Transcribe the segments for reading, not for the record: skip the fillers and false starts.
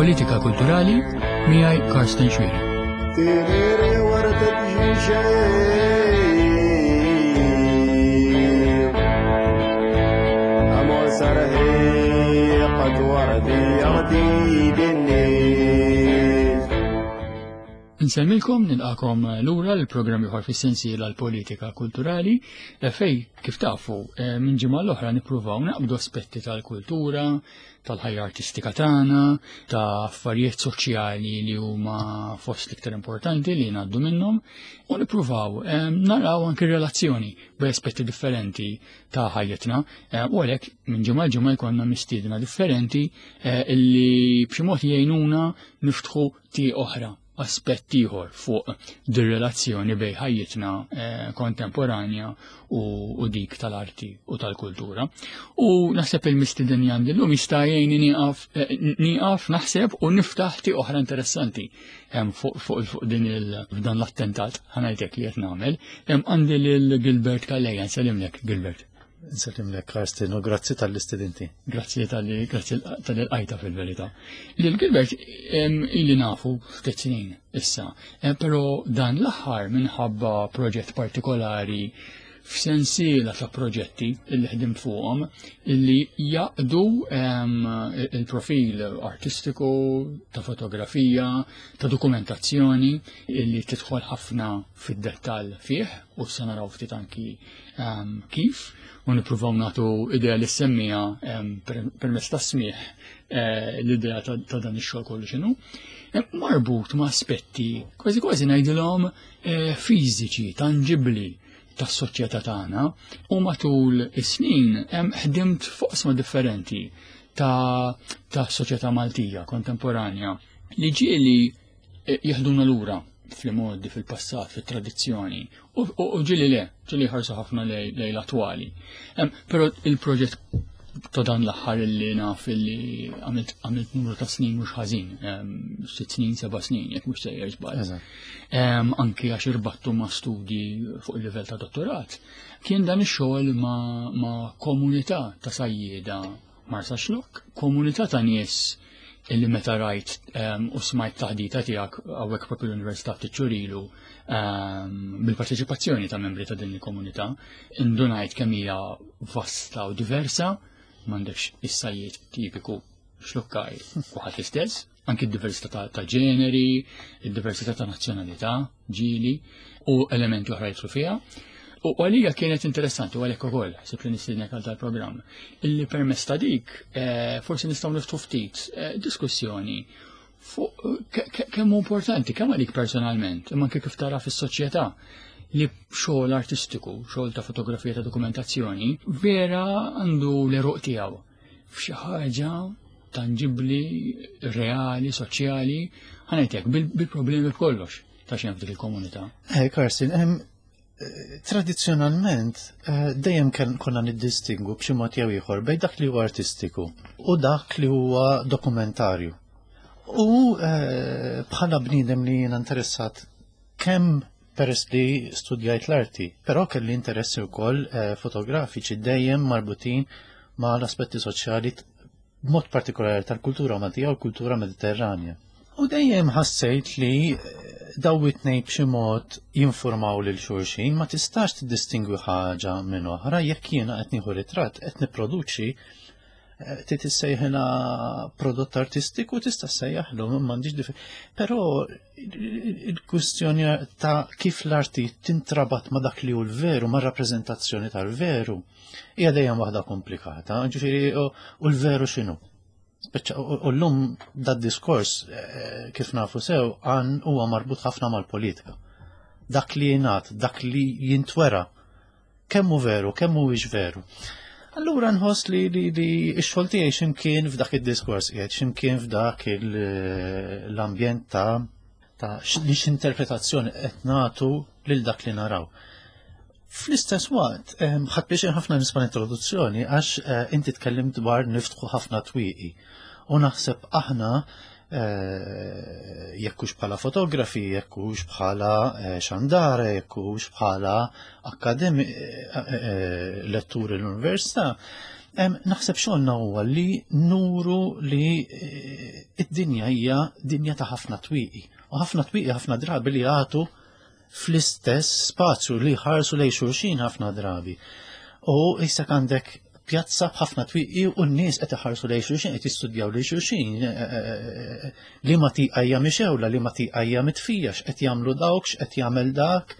Il-politika kulturali miegħi Karsten Xwiri. Insemmilkom nilqakom lura l-programm ieħor fis-sensiela l-politika kulturali eh, fej kif tafu eh, minn ġimgħa l-oħra nippruvaw naqbdu aspetti tal-kultura, tal-ħajja artistika tagħna, ta' affarijiet soċjali li huma fost l-iktar importanti li ngħaddu minnhom u nippruvaw eh, naraw anki relazzjoni bej aspetti differenti ta' ħajjitna u għalhekk minn ġimgħa l-ġimgħa jkollna mistiedna differenti illi b'xi mod jgħinuna niftħu ti oħra, aspett ieħor fuq dir-relazzjoni bej ħajjitna eh, kontemporanja u, u dik tal-arti u tal-kultura. U naħseb il-mistiden għandi llum jista' jgħinni nieqaf eh, nieqaf naħseb u niftaħ ti oħra interessanti fuq fuq fuq din il dan l-attentat ħanajtek li qed nagħmel. Għandi lil Gilbert Calleja, nsellimlek Gilbert. Nsellimlek Karsten u grazzi tal-istudenti. Grazzi tal-li grazzi tal-qajta fil-verità. Lil Gilbert ili nafu ftit snin issa, eh, però dan l-aħħar minħabba proġett partikolari f'sensiela ta' proġetti illi ħdimt fuqhom illi jaqdu il-profil artistiku, ta' fotografija, ta' dokumentazzjoni illi tidħol ħafna fid-dettall fih u se naraw ftit anki Ehm, kif u nippruvaw nagħtu idea li semmija ehm, permezz ta' smih eh, l-idea ta' dan ix-xogħol kollu x'inhu. Ehm, marbut ma' aspetti kważi kważi ngħidilhom eh, fiżiċi, tanġibbli tas-soċjetà tagħna u matul is-snin ħdimt fuq differenti ta' ta' soċjetà Maltija kontemporanja li ġieli eh, jeħduna lura fl-modi, fil-passat, fil-tradizzjoni, u ġili le, ġili ħarsu ħafna lej l-attwali. Pero il-proġett ta' dan l-aħħar li naf li għamilt numru ta' snin mhux ħażin, sitt snin, seba' snin, jekk mhux sejjer żball. Anki għax irbattu ma' studji fuq il-livell ta' dottorat, kien dan ix-xogħol ma' komunità ta' sajjieda Marsaxlokk, komunità ta' nies illi meta rajt ehm, u smajt taħdita tiegħek hawnhekk propju l-Università ftit xhur ilu ehm, bil-parteċipazzjoni ta' membri ta' din il-komunità, indunajt kemm hija vasta u diversa, m'għandekx is-sajjied tipiku xlukkaj u ħadd l-istess, anki d-diversità ta' ġeneri, id-diversità ta' nazzjonalità, ġili, u elementi oħra jidħlu fiha. U għalija kienet interessanti u għalhekk ukoll ħsibt li nistiednek għal dal-programm, illi permezz ta' dik eh, forsi nistgħu niftu ftit eh, diskussjoni fuq eh, kemm hu importanti, kemm għalik personalment, imma anke kif tara fis-soċjetà li xogħol artistiku, xogħol ta' fotografija ta' dokumentazzjoni, vera għandu l-eruq tiegħu f'xi ħaġa tanġibbli, reali, soċjali, ħanajtek bil-problemi b'kollox ta' xejn f'dik il-komunità. Eh, Karsten, eh, tradizzjonalment eh, dejjem konna niddistingu b'xi mod jew ieħor bejn dak li huwa artistiku u dak li huwa dokumentarju. U eh, bħala bniedem li jiena interessat kemm peress li studjajt l-arti, però kelli interessi wkoll eh, fotografiċi dejjem marbutin ma' l-aspetti soċjali b'mod partikolari tal-kultura Maltija u l-kultura Mediterranja. U dejjem ħassejt li eh, daw it-tnejn b'xi mod jinformaw lil xulxin, ma tistax tiddistingwi ħaġa minn oħra jekk jiena qed nieħu ritratt qed nipproduċi eh, trid issejħilha prodott artistiku tista' ssejjaħlu m'għandix dif. Però il-kwistjoni ta' kif l-arti tintrabat ma' dak li hu l-veru, ma' rappreżentazzjoni tal-veru, hija dejjem waħda komplikata, ġifieri u l-veru x'inhu. U llum dad diskors eh, kif nafu sew għan huwa marbut ħafna mal-politika. Dak li jingħad, dak li jintwera, kemm hu veru, kemm mhuwiex veru. Allura nħoss li li li x-xogħol tiegħi x'imkien f'dak id-diskors qiegħed, x'imkien f'dak l-ambjent ta' ta' li x'interpretazzjoni qed nagħtu lil dak li naraw. Fl-istess waqt, ħadd biex ħafna nisma' introduzzjoni għax eh, inti tkellimt dwar niftħu ħafna twieqi. U naħseb aħna eh, jekk hux bħala fotografi, jekk hux bħala eh, xandara, jekk hux bħala akademi letturi l-università, Naħseb xogħolna huwa li nuru li eh, id-dinja hija dinja ta' ħafna twieqi. U ħafna twieqi ħafna drabi li jagħtu fl-istess spazju li ħarsu lejn xulxin ħafna drabi. U issa għandek pjazza b'ħafna twieqi u n-nies qed iħarsu lejn xulxin, qed jistudjaw lejn xulxin, eh, eh, li ma tiqajja mixewla, li ma tiqajja mitfija, x'qed jagħmlu dawk, x'qed jagħmel dak.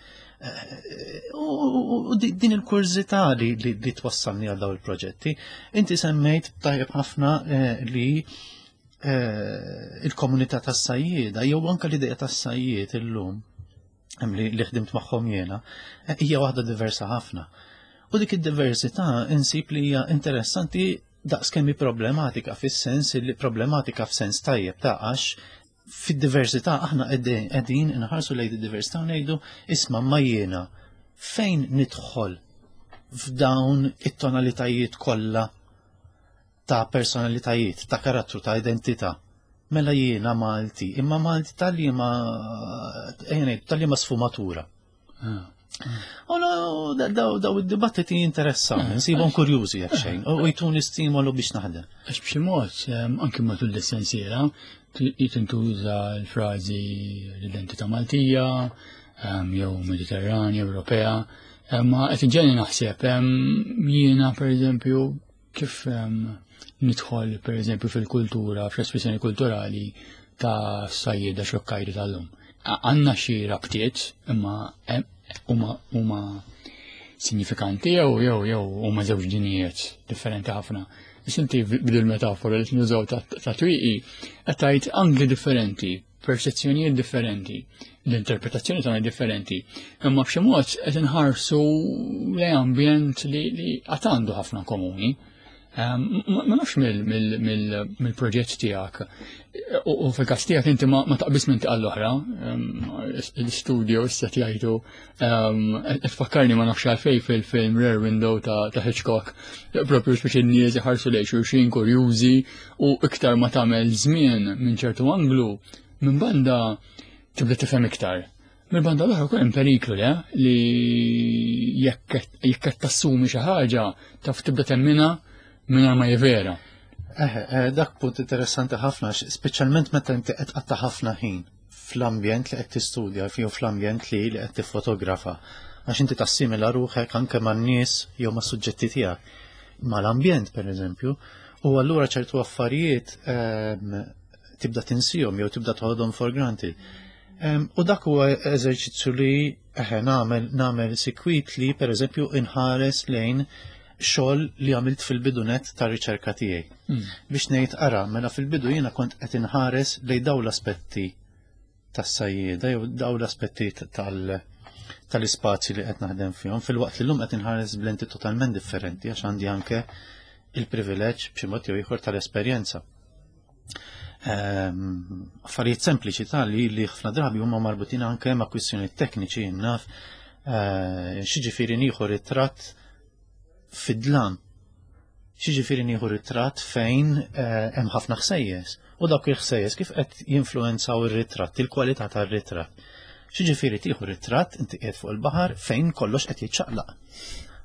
U din il-kurżità li, li, li twassalni għal daw il-proġetti. Inti semmejt tajjeb ħafna eh, li eh, il-komunità tas-sajjieda jew anke l-idea tas-sajjied illum li, li ħdimt magħhom jiena, eh, hija waħda diversa ħafna. U dik id-diversità insib li hija interessanti daqs kemm hi problematika fis-sens li problematika f'sens tajjeb ta' għax fid-diversità aħna qegħdin inħarsu lejn id-diversità u ngħidu isma' ma jiena fejn nidħol f'dawn it-tonalitajiet kollha ta' personalitajiet, ta' karattru, ta' identità. Mela jiena Malti, imma Malti tal-liema tal-liema sfumatura. Ah. U daw id-dibattiti jinteressaw, eh, nsibhom kurjużi jekk xejn, u jtuni stimolu biex naħdem. Għax b'xi mod, anki matul l-sensiela, jitintuża l-frażi l-identità Maltija, jew Mediterranja, Ewropea, ma qed iġeni naħseb jiena pereżempju kif nidħol pereżempju fil-kultura, fl-espressjoni kulturali ta' sajjieda xokkajri tal-lum. Għanna xi rabtiet imma huma huma sinifikanti jew jew jew huma żewġ dinijiet differenti ħafna. Biex inti bidil metafora li nużaw ta' twieqi qed tgħid angli differenti, perċezzjonijiet differenti, l-interpretazzjoni tagħna differenti, imma b'xi mod qed inħarsu lejn ambjent li qatt għandu ħafna komuni. Ehm, ma nafx mill-proġett tiegħek. U fil-każ tiegħek inti ma taqbis minn tiqal l-oħra, ehm, l-studio issa jgħidu ehm, tfakkarni ma nafx għalfej fil-film Rare Window ta' Hitchcock, propju biex in-nies iħarsu lejn xulxin kurjużi u iktar ma tagħmel żmien minn ċertu anglu, minn banda tibda tifhem iktar. Mill-banda l-oħra wkoll hemm periklu le li jekk qed tassumi xi ħaġa taf tibda temminha mingħajr ma vera. Eh, eh, dak punt interessanti ħafna, speċjalment meta inti qed qatta' ħafna ħin fl-ambjent li qed tistudja jew fl-ambjent li li qed tiffotografa. Għax inti tassimila ruħek anke man-nies jew mas-suġġetti tiegħek. Mal-ambjent pereżempju, u allura ċertu affarijiet ehm, tibda tinsihom jew tibda toħodhom for granted. U dak huwa eżerċizzju li eħe nagħmel nagħmel sikwit li pereżempju inħares lejn xogħol li għamilt fil-bidunet ta' riċerka tiegħi. Biex ngħid ara, mela fil-bidu jiena kont qed inħares lejn dawn l-aspetti tas-sajjieda jew dawn l-aspetti tal- tal-ispazji li qed naħdem fihom, fil-waqt li llum qed inħares b'lenti totalment differenti għax għandi anke il-privileġġ b'xi mod jew ieħor tal-esperjenza. Ehm, affarijiet sempliċi ta' li li ħafna drabi huma marbutin anke ma' kwistjonijiet tekniċi naf eh, xiġifieri nieħu ritratt fid-dlam. Xiġifieri nieħu ritratt fejn eh, hemm ħafna ħsejjes u dawk il-ħsejjes kif qed jinfluwenzaw ir-ritratt, il-kwalità tar-ritratt. Xiġifieri tieħu ritratt inti qiegħed fuq il-baħar fejn kollox qed jiċċaqlaq.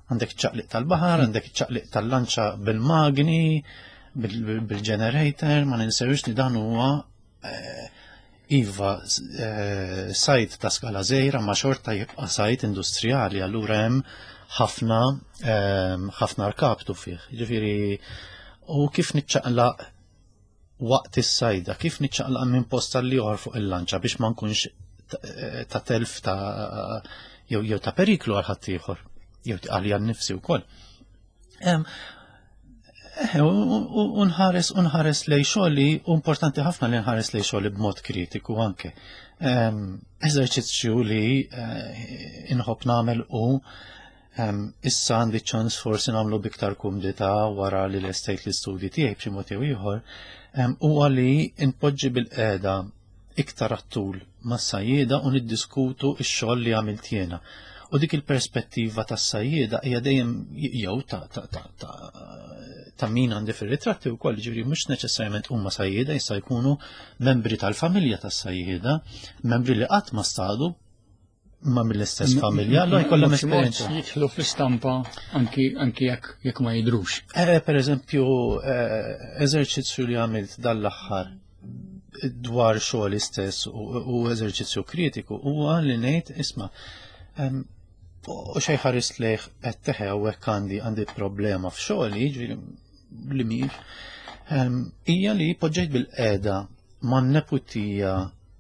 Għandek ċaqliq tal-baħar, għandek ċaqliq tal-lanċa bil-magni, bil-generator, ma ninsewx li dan huwa eh, iva eh, sajt ta' skala żgħira ma xorta jibqa' sajt industrijali, allura hemm ħafna eh, ħafna rkabtu fih. Ġifieri u kif niċċaqlaq waqt is-sajda, kif niċċaqlaq minn post għal ieħor fuq il-lanċa biex ma nkunx ta' telf ta' jew jew ta' periklu għal ħaddieħor, jew għalija nnifsi wkoll. U nħares u nħares lej xogħli u importanti ħafna li nħares lej xogħli b'mod kritiku anke. Eżerċizzju li eh, inħobb nagħmel u issa għandi ċans forsi nagħmlu biktar kumdità wara li lestejt l-istudji tiegħi b'xi mod jew ieħor, huwa li npoġġi bil-qiegħda iktar għat-tul mas-sajjieda u niddiskutu x-xogħol li għamilt jiena. U dik il-perspettiva tas-sajjieda hija dejjem jew ta' ta' ta' ta' ta' min għandi fir-ritratti wkoll, ġifieri mhux neċessarjament huma sajjieda jista' jkunu membri tal-familja tas-sajjieda, membri li qatt ma stadu. ma mill-istess familja, allura jkollhom esperjenza. Jidħlu fl-istampa anki anki jekk jekk ma jidrux. Eh, per eżempju, eżerċizzju li għamilt dal-aħħar dwar xogħol istess u eżerċizzju kritiku huwa li ngħid isma' u xejn ħares lejh qed teħe hawnhekk għandi għandi problema f'xogħli, jiġifieri li mhix, hija li poġġejt bil-qiegħda man-neputija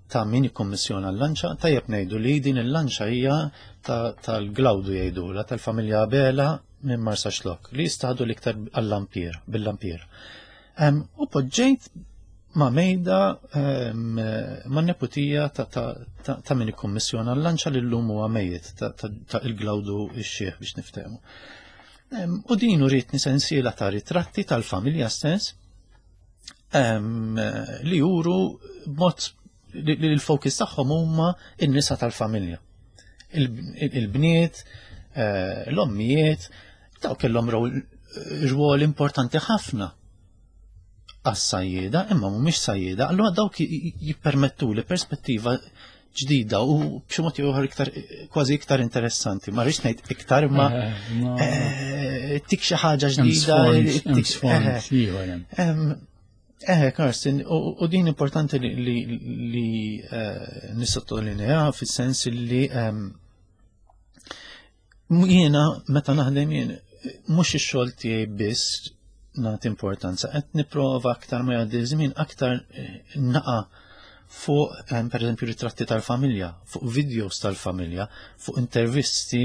ta' min ikkommissjona l-lanċa, tajjeb ngħidu li din il-lanċa hija tal-Glawdu jgħidula, tal-familja Abela minn Marsaxlokk, li jistadu l-iktar għall-lampier, bil-lampier. U poġġejt ma' mejda ma' neputija ta' min ikkommissjona l-lanċa li llum huwa mejjet ta' il-Glawdu x-xiħ biex niftehmu. U din uritni sensiela ta' ritratti tal-familja stess li juru b'mod li l-fokus tagħhom huma n-nisa tal-familja. Il-bniet, l-ommijiet, daw kellhom rwol importanti ħafna għas-sajjieda, imma mhumiex sajjieda, allura dawk jippermettu li perspettiva ġdida u b'xi mod ieħor iktar kważi iktar interessanti. Ma rridx ngħid iktar imma tik xi ħaġa ġdida. Karsten, u din importanti li nissottolinea fis-sens li jiena meta naħdem jien mhux ix-xogħol tiegħi biss nagħti importanza, qed nipprova aktar ma jgħaddi żmien aktar naqa' fuq per eżempju ritratti tal-familja, fuq videos tal-familja, fuq intervisti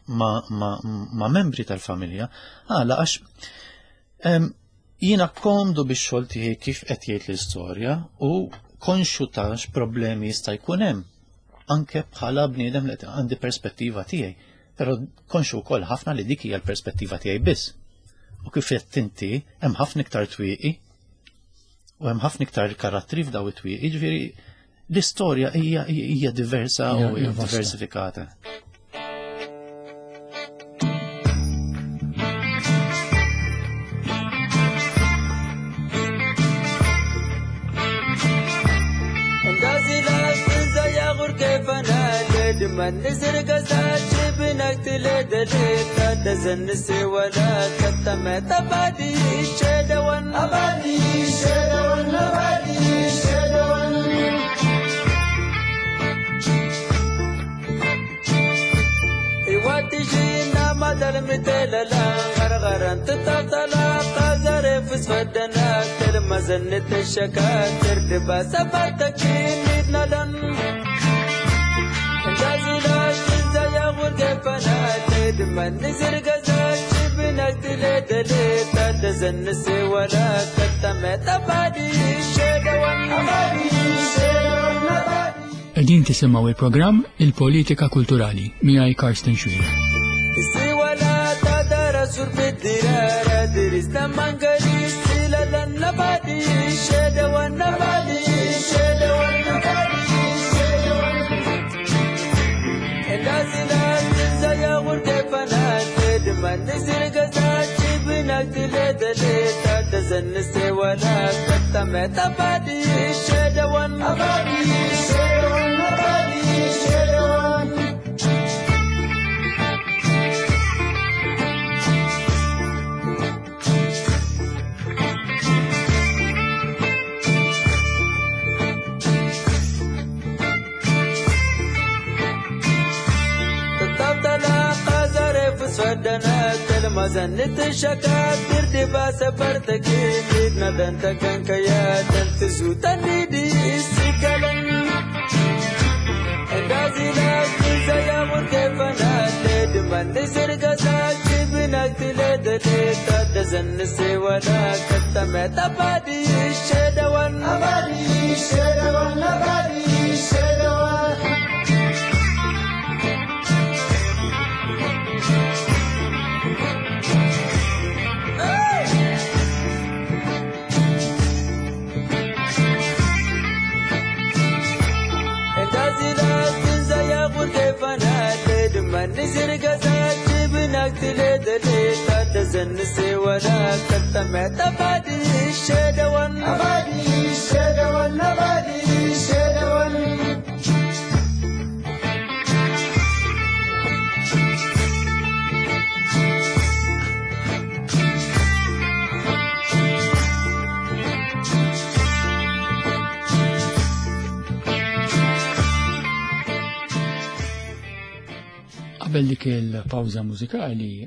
ma, ma, ma membri tal-familja, għala għax jiena komdu biex xogħol tiegħi kif qed jgħid l-istorja u konxu ta' x'problemi jista' jkun hemm anke bħala bniedem li għandi perspettiva tiegħi, però konxu wkoll ħafna li dik hija l-perspettiva tiegħi biss. U kif qed inti hemm ħafna iktar twieqi u hemm ħafna iktar karattri f'daw it-twieqi, jiġifieri l-istorja hija hija diversa u Hija vasta. diversifikata. Qegħdin tisimgħu il-programm Il-Politika Kulturali miegħi Karsten Xuereb. Qabel dik il-pawża mużikali,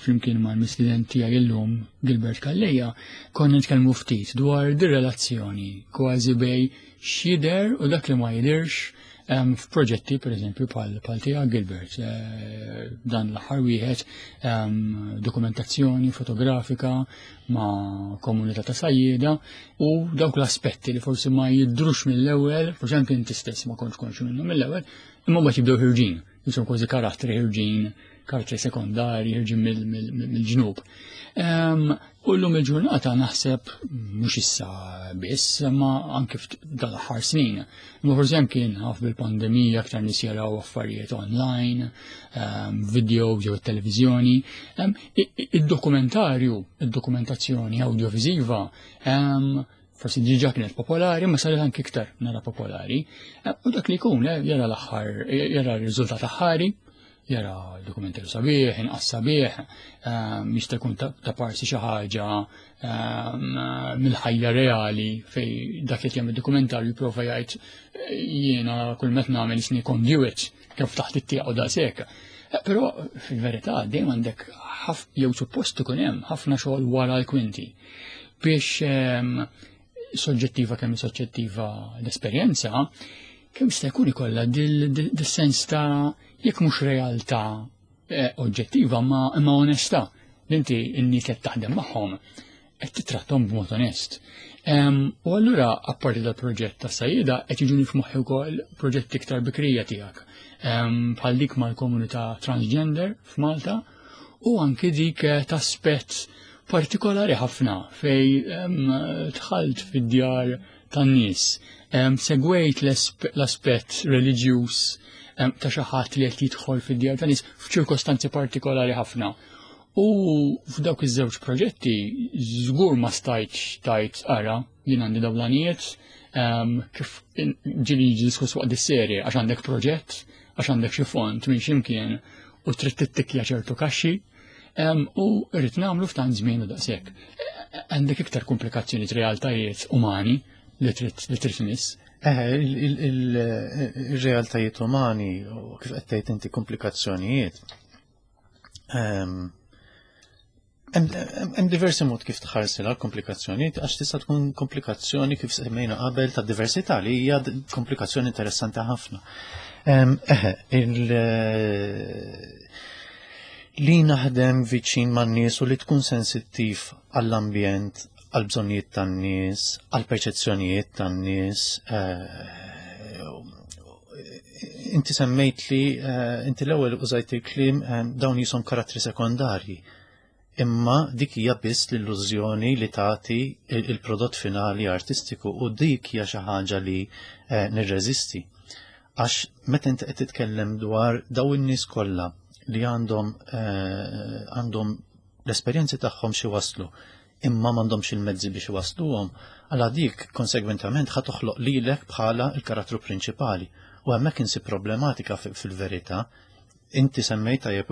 flimkien mal-mistieden tiegħi illum Gilbert Calleja, konna nitkellmu ftit dwar dir-relazzjoni kważi bej x'jidher u dak li ma jidhirx f'proġetti pereżempju bħal bħal tiegħek Gilbert, dan l-aħħar wieħed dokumentazzjoni fotografika ma' komunità ta' sajjieda u dawk l-aspetti li forsi ma jidhrux mill-ewwel, forsi anke inti stess ma kontx konxju minnhom mill-ewwel, imma mbagħad jibdew ħirġin, jisom kważi karattri ħirġin, karattri sekondari ħirġin mill-ġnub. U llum il-ġurnata naħseb mhux issa biss, ma anke dal-aħħar snin. Imma forsi anke naf bil-pandemija aktar nies jaraw affarijiet online, video jew it-televiżjoni. Id-dokumentarju, id-dokumentazzjoni awdjoviżiva, forsi diġà kienet popolari, ma saret anke iktar nara popolari. U dak li jkun, jara l-aħħar, jara r-riżultat aħħari, jara dokumentarju sabiħ, inqas sabiħ, jista' jkun ta' parsi xi ħaġa mill-ħajja reali fej dak li jagħmel dokumentarju jipprova jgħid jiena kull meta nagħmel isni conduit kif taħt it-tieqa u daqshekk. Però fil-verità dejjem għandek jew suppost ikun hemm ħafna xogħol wara l-kwinti biex soġġettiva kemm soġġettiva l-esperjenza, kemm jista' jkun ikollha dil-sens ta' jekk mhux realtà oġġettiva ma imma onestà li inti n-nies qed taħdem magħhom qed titrattom b'mod onest. U allura apparti dal-proġett ta' sajjida qed jiġuni f'moħħi wkoll proġetti iktar bikrija tiegħek. Bħal dik mal-komunità transgender f'Malta u anki dik ta' spett partikolari ħafna fej dħalt fid-djar tan-nies. Segwejt l-aspett reliġjuż ta' xi ħadd li qed jidħol fid-djar tan-nies f'ċirkostanzi partikolari ħafna. U f'dawk iż-żewġ proġetti żgur ma stajtx tajt ara jien għandi dawn l-għanijiet, kif ġieli jiġi diskuss waqt dis-serje għax għandek proġett, għax għandek xi fond minn x'imkien u trid tittikja ċertu kaxxi, u rrid nagħmlu f'tant żmien u daqshekk. Għandek iktar komplikazzjoni realtajiet umani li trid li trid tmiss. Il-realtajiet umani u kif qed tgħid inti komplikazzjonijiet. Hemm diversi mod kif tħarsilha komplikazzjonijiet għax tista' tkun komplikazzjoni kif semmejna qabel ta' diversità li hija komplikazzjoni interessanti ħafna. Eħe, li naħdem viċin man-nies u li tkun sensittiv għall-ambjent, għall-bżonnijiet tan-nies, għall-perċezzjonijiet tan-nies. Inti semmejt li inti l-ewwel użajt il-kliem dawn jisom karattri sekondarji. Imma dik hija biss l-illużjoni li tagħti il-prodott finali artistiku u dik hija xi ħaġa li nirreżisti. Għax meta inti qed titkellem dwar daw in-nies kollha li għandhom l-esperjenzi tagħhom xi waslu, imma m'għandhomx il-mezzi biex iwassluhom, għala dik konsegwentament ħa toħloq lilek bħala l-karattru prinċipali. U hemmhekk insib problematika fil-verità. Inti semmejt tajjeb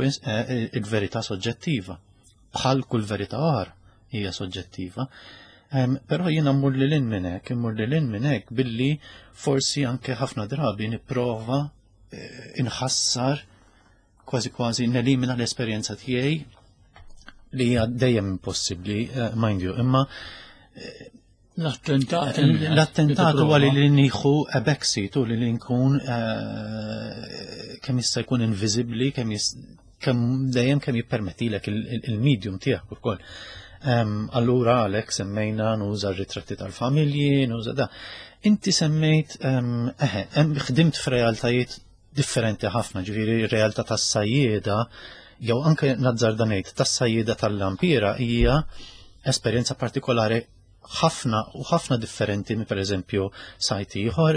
il-verità soġġettiva. Bħal kull verità oħra hija soġġettiva. Però jiena mmur lil hinn minn hekk, immur lil hinn minn hekk billi forsi anke ħafna drabi nipprova inħassar kważi kważi nelimina l-esperjenza tiegħi li hija dejjem impossibbli, mind you, imma L-attentat. L-attentat huwa li nieħu a backseat u li nkun kemm jista' jkun inviżibbli, kemm dejjem kemm jippermettilek il-medium tiegħek ukoll. Allura għalhekk semmejna nuża r-ritratti tal-familji, nuża da. Inti semmejt, eħe, ħdimt f'realtajiet differenti ħafna, ġifieri r-realtà tas-sajjieda, jew anke nazzarda ngħid tas-sajjieda tal-Lampiera hija esperjenza partikolari ħafna u ħafna differenti minn pereżempju sajt ieħor,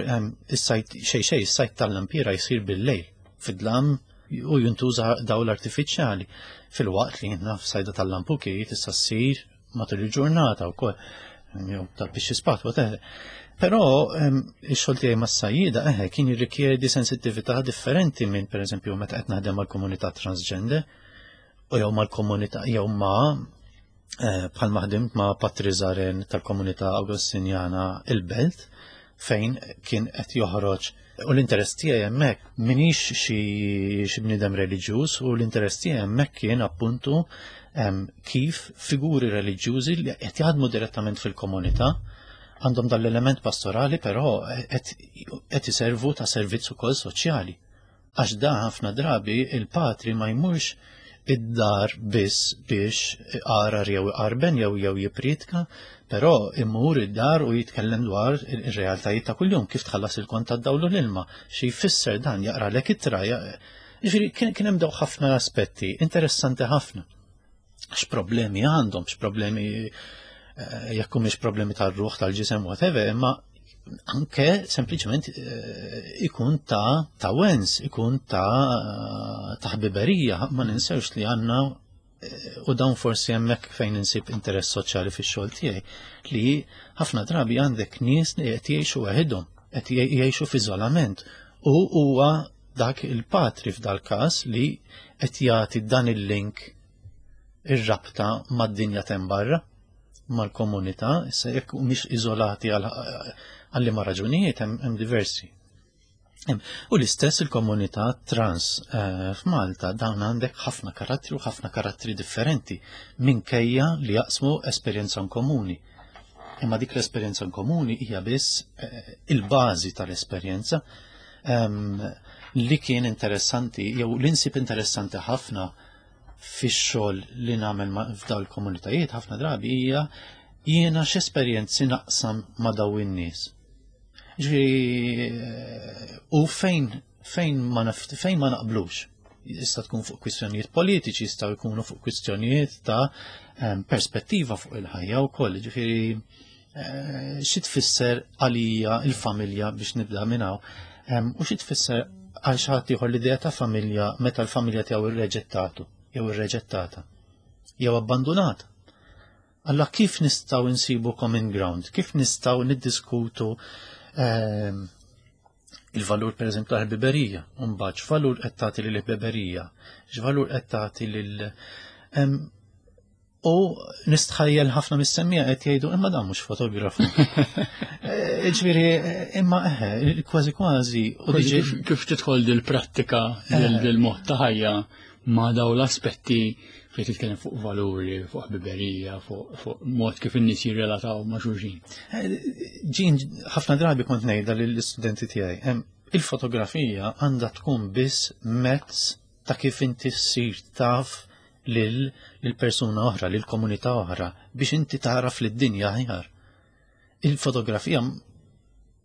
is-sajt xejn xejn, is-sajt tal-Lampiera jsir bil-lejl, fid-dlam u jintuża dawl artifiċjali, filwaqt li naf sajda tal-lampuki tista' ssir matul il-ġurnata wkoll, jew tal-pixxi spat, whatever. Però ix-xogħol tiegħi mas-sajjieda eħe kien jirrikjedi sensittività differenti minn pereżempju meta qed naħdem mal-komunità transgender u jew mal-komunità jew ma' bħal ma ħdimt ma' Patri Zaren tal-komunità Agostinjana il-Belt. fejn kien qed joħroġ. U l-interess tiegħi hemmhekk m'iniex xi bniedem reliġjuż u l-interess tiegħi hemmhekk kien appuntu kif figuri reliġjużi li qed jaħdmu direttament fil-komunità għandhom dal-element pastorali però qed iservu ta' servizz ukoll soċjali. Għax da ħafna drabi il-patri ma jmurx id-dar biss biex iqarar jew iqarben jew jew jipritka, però imur id-dar u jitkellem dwar ir-realtajiet ta' kuljum, kif tħallas il-kont tad-dawl u l-ilma, xi jfisser dan, jaqralek ittra. Ġifieri kien hemm daw ħafna aspetti interessanti ħafna. X'problemi għandhom, x'problemi eh, jekk humiex problemi tal-ruħ, tal-ġisem, whatever, imma anke sempliċement eh, ikun ta' ta' wens, ikun ta' ta' ħbiberija, ma ninsewx li għandna eh, u dawn forsi hemmhekk fejn insib interess soċjali fix-xogħol tiegħi li ħafna drabi għandek nies li qed jgħixu waħedhom, qed jgħixu f'iżolament u huwa dak il-patri f'dal-każ li qed jagħti dan il-link ir-rabta mad-dinja t'hemm barra, mal-komunità, issa jekk mhix iżolati għal liema raġunijiet hemm diversi. U l-istess il-komunità trans eh, f'Malta dawn għandek ħafna karattri u ħafna karattri differenti minkejja li jaqsmu esperjenza komuni. Imma dik l-esperjenza komuni hija biss eh, il-bażi tal-esperjenza li kien interessanti jew l-insib interessanti ħafna fix-xogħol li nagħmel f'dawn il-komunitajiet ħafna drabi hija jiena x'esperjenzi naqsam ma' daw in-nies. Ġifieri eh, u fejn fejn ma fejn ma naqblux. Jista' tkun fuq kwistjonijiet politiċi, jistgħu jkunu fuq kwistjonijiet ta' ehm, perspettiva fuq il-ħajja wkoll. Ġifieri eh, xi tfisser għalija il-familja biex nibda minn hawn ehm, u xi tfisser għal xi ħadd ieħor l-idea ta' familja meta l-familja tiegħu irreġettatu jew irreġettata jew abbandunata. Alla kif nistgħu nsibu common ground, kif nistgħu niddiskutu ehm, il-valur per eżempju tal-ħbiberija, mbagħad x'valur qed tagħti lil ħbiberija, x'valur qed tagħti lil U nistħajjel ħafna mis-semmija qed jgħidu imma dan mhux fotografu. Eh, ġifieri imma eħe, kważi kważi. Kif tidħol dil-prattika eh. dil-mod ta' ħajja ma' daw l-aspetti fejn titkellem fuq valuri, fuq ħbiberija, fuq mod kif in-nies jirrelataw ma' xulxin. Eh, ġin ħafna drabi kont ngħidha lill-istudenti tiegħi. Il-fotografija għandha tkun biss mezz ta' kif inti ssir taf lil persuna oħra, lil komunità oħra, biex inti taraf lid-dinja aħjar. Il-fotografija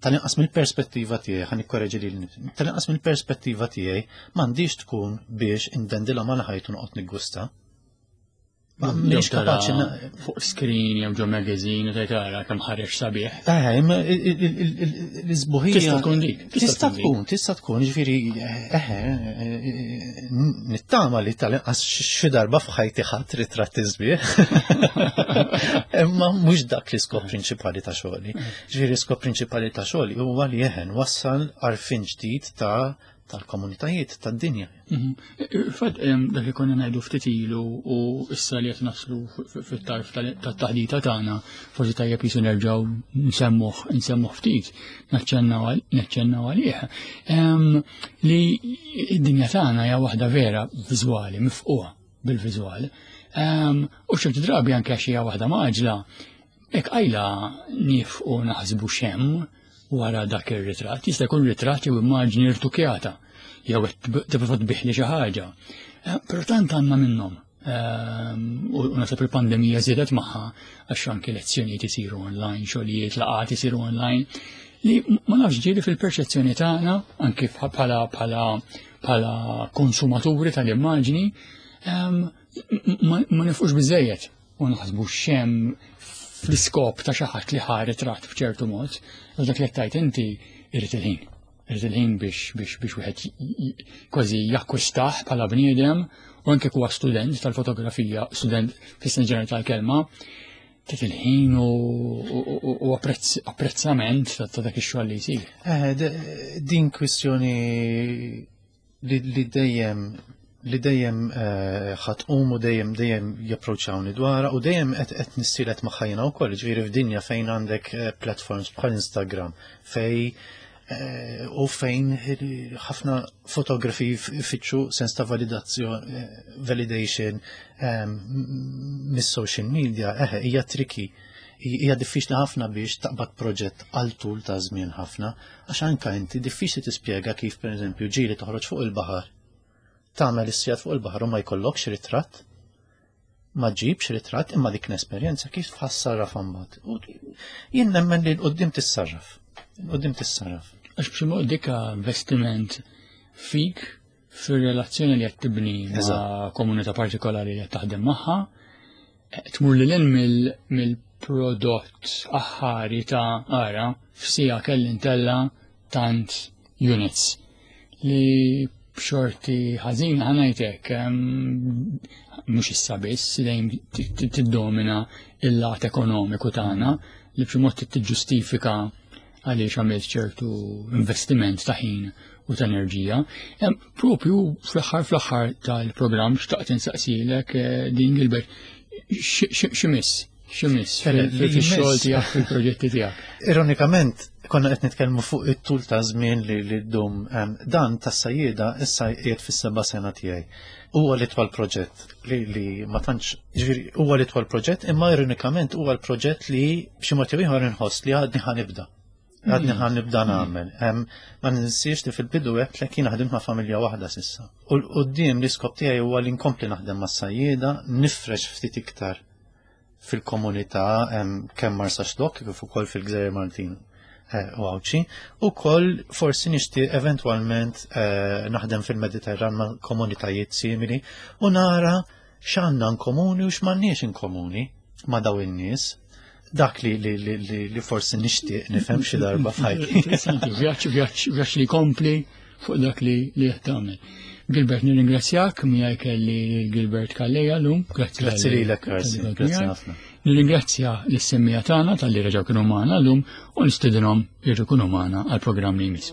tal-inqas mill-perspettiva tiegħi, ħan ikkoreġi lil tal-inqas mill-perspettiva tiegħi m'għandix tkun biex indendilha mal-ħajt u noqgħod niggusta. Mhix kapaċi fuq screen jew ġo magazine u tara kemm ħareġ sabiħ. Eh, imma l-isbuħija. Tista' tkun dik. Tista' tkun, tista' tkun, ġifieri eh, nittama li tal-inqas xi darba f'ħajti ħadd ritratt isbieħ. Imma mhux dak l-iskop prinċipali ta' xogħli. Ġifieri l-iskop prinċipali ta' xogħli huwa li eħen wassal għarfien ġdid ta' tal-komunitajiet tad-dinja. Mhm. Fad dak li konna ngħidu ftit ilu u issa li qed naslu fit-tarf tat-taħdita tagħna, forsi tajjeb jisu nerġgħu nsemmuh nsemmuh ftit, naċċennaw għalih. Li id-dinja tagħna hija waħda vera viżwali, mifquha bil-viżwal. U ċerti drabi anke għax hija waħda maġla, hekk qajla nifqu naħsbu xemm wara dak ir-ritratt. Jista' jkun ritratt jew immaġni rtukjata jew qed tipprova tbiħli xi ħaġa. Eh, però tant għandna minnhom. Ehm, u naħseb il-pandemija żiedet magħha għax anki lezzjonijiet isiru online, xogħlijiet, laqgħat isiru online, li ma nafx ġieli fil-perċezzjoni tagħna anki bħala bħala bħala konsumaturi tal-immaġni ehm, ma nifqux biżejjed u naħsbu xem fl-iskop ta' xi ħadd li ħa ritratt b'ċertu mod, u dak li tajt inti irid il-ħin. Irid il-ħin biex biex biex wieħed kważi jakkwistah bħala bniedem u anke huwa student tal-fotografija, student fis-sens ġenerali tal-kelma, trid il-ħin u apprezzament ta' dak ix-xogħol li jsir. Eh, din kwistjoni li dejjem li dejjem eh, ħatqum u dejjem dejjem japproċċawni dwarha u dejjem qed qed nissielet magħha jiena wkoll, ġifieri f'dinja fejn għandek eh, platforms bħal Instagram fej eh, u fejn ħafna fotografi fitxu sens ta' validazzjoni validation mis-social media, eħe, hija tricky hija diffiċli ħafna biex taqbad proġett għal tul ta' żmien ħafna, għax anka inti diffiċli tispjega kif pereżempju ġieli toħroġ fuq il-baħar tagħmel is-sigħat fuq il-baħar u ma jkollokx ritratt, ma ġibx ritratt imma dik l-esperjenza kif tħassarraf imbagħad. U jien nemmen li l-qudiem tissarraf. L-qudiem tissarraf. Għax b'xi mod dik investiment fik fir-relazzjoni li qed tibni ma' komunità partikolari li qed taħdem magħha, tmur lil hinn mill-prodott aħħari ta' ara f'sija kelli ntella tant units li b'xorti ħażina ħanajtek mhux issa biss dejjem tiddomina il-lat ekonomiku tagħna li b'xi mod tiġġustifika għaliex għamilt ċertu investiment ta' ħin u ta' enerġija. Propju fl-aħħar fl-aħħar tal-programm xtaqt insaqsilek eh, din Gilbert x'imiss x'imiss fil-xogħol tiegħek fil-proġetti tiegħek. Ironikament, konna qed nitkellmu fuq it-tul ta' żmien li li ddum dan tas-sajjieda issa qiegħed fis-seba' sena tiegħi. Huwa l-itwal proġett li, li ma tantx ġifieri huwa l-itwal proġett imma ironikament huwa l-proġett li b'xi mod jew ieħor inħoss li għadni ħanibda. Għadni ħan nibda nagħmel. Ma ninsiex li fil-bidu għedt li kien ħdimt ma' familja waħda sissa. U l-qudiem l-iskop tiegħi huwa li nkompli naħdem mas-sajjieda, nifrex ftit iktar fil-komunità kemm Marsaxlokk kif ukoll fil-Gżejjer Maltin eh, u Għawdxi, u koll forsi nixtieq eventwalment eh, naħdem fil-Mediterran ma' komunitajiet simili u nara x'għandna komuni u x'm'għandniex in komuni ma' daw in-nies dak li li li li, li forsi nixtieq nifhem xi darba f'ħajti. Vjaġġ vjaġġ vjaġġ li kompli fuq dak li li qed tagħmel. Gilbert nirringrazzjak miegħi kelli Gilbert Calleja llum. Grazzi Grazzi lilek, Karsi. Grazzi ħafna. Nirringrazzja lis-semmija tagħna talli reġgħu kienu magħna llum u nistedinhom jerġgħu jkunu magħna għall-programm li jmiss.